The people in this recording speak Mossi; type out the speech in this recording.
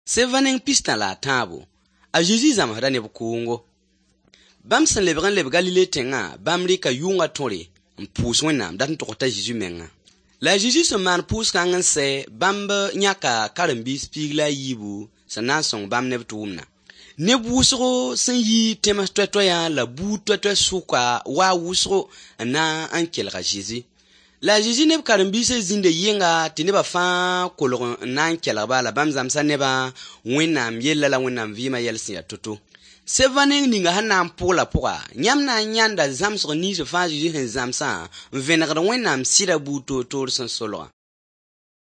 Seva neng pistã la a tãabo, a Zezi zãmsda neb kʋʋngo. Bãmb sẽn lebg n leb Galile tẽngã, bãmb rɩka yʋngã tõre n pʋʋs Wẽnnaam dat n togs t'a Zezi menga. La a Zezi sẽn maan pʋʋs-kãng n sɛ, bãmb yãka karen-biis 14 sẽn na n sõng bãmb ne b tʋʋmdã. Neb wʋsgo sẽn yi tẽms toɛ-toɛyã la buud toɛ-toɛ sʋka waa wʋsgo n na n kelg a Zezi. La a Zezi ne b karen-biisã zĩnda yɩnga tɩ nebã fãa kolg n na n kelg-ba la bãmb zãmsa nebã Wẽnnaam yella la Wẽnnaam vɩɩmã yɛl sẽn yaa to-to. Seva neng ninga sẽn na n pʋgla pʋga, yãmb na n yãnda zãmsg nins fãa Zezi sẽn zãmsã n vẽnegd Wẽnnaam sɩda buud toor-toor sẽn solgã.